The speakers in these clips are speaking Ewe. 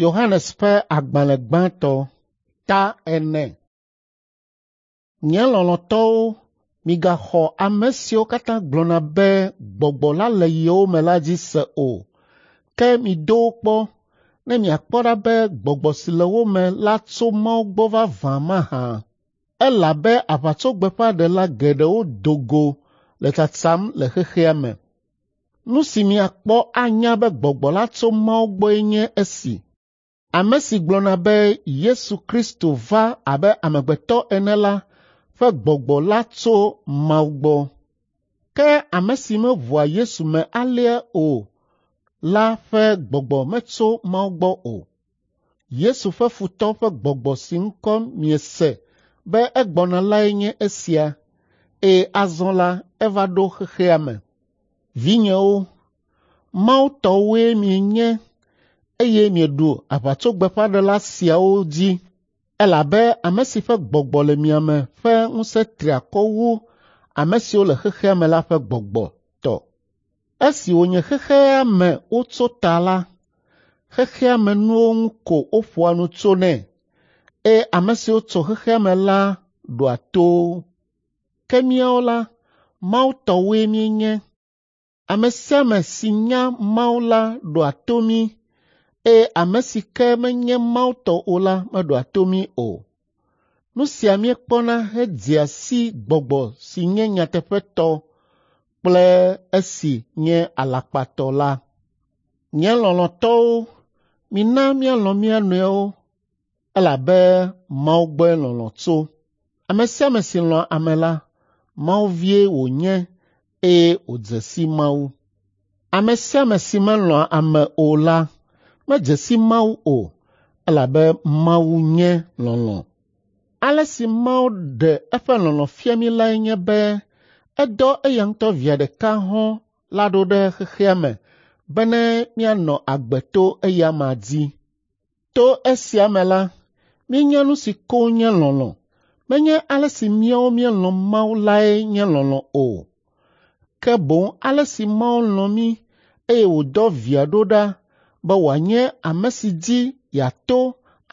Yohanes ƒe agbalẽ gbãtɔ ta 4. Nye lɔlɔ̃tɔwo, migaxɔ ame siwo katã gblɔna be gbɔgbɔ la le yewo me la dzi se o, ke mido wo kpɔ ne miakpɔ ɖa be gbɔgbɔ si le wo me la tso Mawu gbɔ vavã mahã. Elabe aʋatsogbeƒãɖela geɖewo do go le tsatsam le xexea me. Nu si miakpɔ anya be gbɔgbɔ la tso Mawu gbɔe nye esi. Ame si gblɔna be Yesu Kristo va abe amegbetɔ ene la ƒe gbɔgbɔ la tso Mawu gbɔ. Ke ame si meʋua Yesu me alea o la ƒe gbɔgbɔ metso Mawu gbɔ o. Yesu ƒe futɔ ƒe gbɔgbɔ si ŋkɔ miese be egbɔna lae nye esia, eye azɔ la eva ɖo xexea me. Vinyewo, Mawu tɔwoe mienye eye mieɖu aʋatsogbeƒãɖela siawo dzi elabe ame si ƒe gbɔgbɔ le mia me ƒe ŋusẽ tri akɔ wu ame siwo le xexea me la ƒe gbɔgbɔ tɔ. Esi wònye xexea me wotso ta la, xexea me nuwo ŋu ko woƒoa nu tsonɛ eye ame siwo tso xexea me la ɖoa to wo. Ke míawo la, Mawu tɔwoe míenye. Ame sia ame si nya Mawu la ɖoa to mí eye ame si ke menye Mawu tɔ o la meɖoa to mí o. Nu sia míekpɔna hedzea si gbɔgbɔ si nye nyateƒetɔ kple esi nye alakpatɔ la. Nye lɔlɔ̃tɔwo, mina míalɔ̃ mía nɔewo elabe Mawu gbɔe lɔlɔ̃ tso. Ame sia ame si lɔ̃a ame la, Mawu vie wònye eye wòdze si Mawu. Ame sia ame si melɔ̃a ame o la medze si Mawu o, elabe Mawu nye lɔlɔ̃. Ale si Mawu ɖe eƒe lɔlɔ̃ fia mí lae nye be edɔ eya ŋutɔ via ɖeka hɔ̃ la ɖo ɖe xexea me bene míanɔ agbe to eya amea dzi. To esia me la, míenya nu si koŋ nye lɔlɔ̃. Menye ale si míawo míelɔ̃ Mawu lae nye lɔlɔ̃ o, ke boŋ ale si Mawu lɔ̃ mí eye wòdɔ via ɖo ɖa be wòanye ame si dzi yeato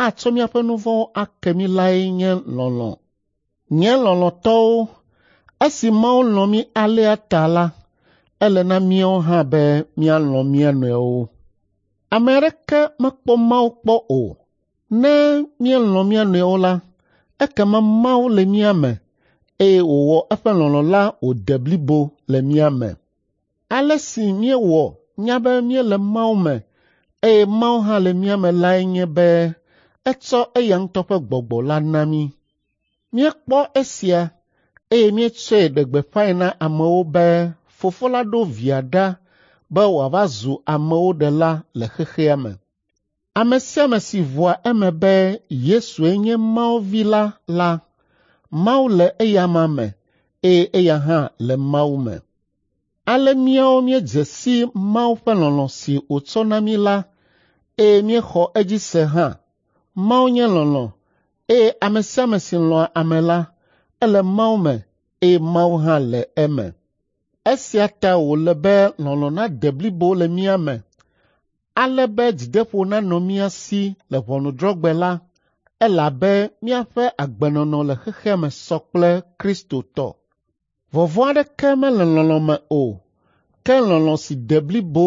atsɔ míaƒe nu vɔ̃wo ake mí lae nye lɔlɔ̃. Nye lɔlɔ̃tɔwo, esi Mawu lɔ̃ mí alea ta la, ele na míawo hã be míalɔ̃ mía nɔewo. Ame aɖeke mekpɔ Mawu kpɔ o. Ne míelɔ̃ mía nɔewo la, ekema Mawu le mía me eye wòwɔ eƒe lɔlɔ̃ la wòde blibo le mía me. Ale si míewɔ nya be míele Mawu me eye Mawu hã le mía me lae nye be etsɔ eya ŋutɔ ƒe gbɔgbɔ la na mí. Míekpɔ esia eye míetsɔe ɖe gbeƒãe na amewo be Fofo la ɖo Via ɖa be wòava zu amewo ɖela le xexea me. Ame sia ame si ʋua eme be Yesue nye Mawu Vi la la, Mawu le eya amea me eye eya hã le Mawu me. Ale míawo míedze si Mawu ƒe lɔlɔ̃ si wòtsɔ na mí la eye míexɔ edzi se hã. Mawu nye lɔlɔ̃ eye ame sia ame si lɔ̃a ame la, ele Mawu me eye Mawu hã le eme. Esia ta wòle be lɔlɔ̃ nade blibo le mía me, ale be dzideƒo nanɔ mía si le ʋɔnudrɔ̃gbe la, elabe míaƒe agbenɔnɔ le xexea me sɔ kple Kristo tɔ. Vɔvɔ̃ aɖeke mele lɔlɔ̃ me o, ke lɔlɔ̃ si de blibo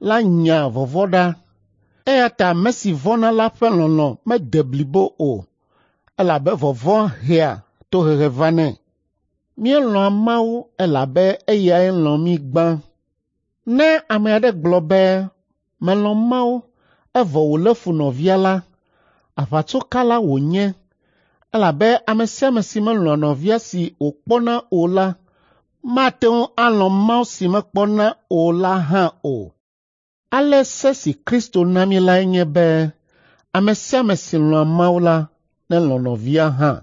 la nyaa vɔvɔ̃ ɖa. Eya ta ame si vɔ̃na la ƒe lɔlɔ̃ mede blibo o, elabe vɔvɔ̃ hea tohehe vanɛ. Míelɔ̃a Mawu elabe eyae lɔ̃ mí gbã. Ne ame aɖe gblɔ be, “Melɔ̃ Mawu,” evɔ wòlé fu nɔvia la, aʋatsokala wònye elabe ame sia ame si melɔ̃a nɔvia si wòkpɔna o la mate ŋu alɔ̃ Mawu si mekpɔna o la hã o. Ale se si Kristo na mí lae nye be ame sia ame si lɔ̃a Mawu la nelɔ̃ nɔvia hã.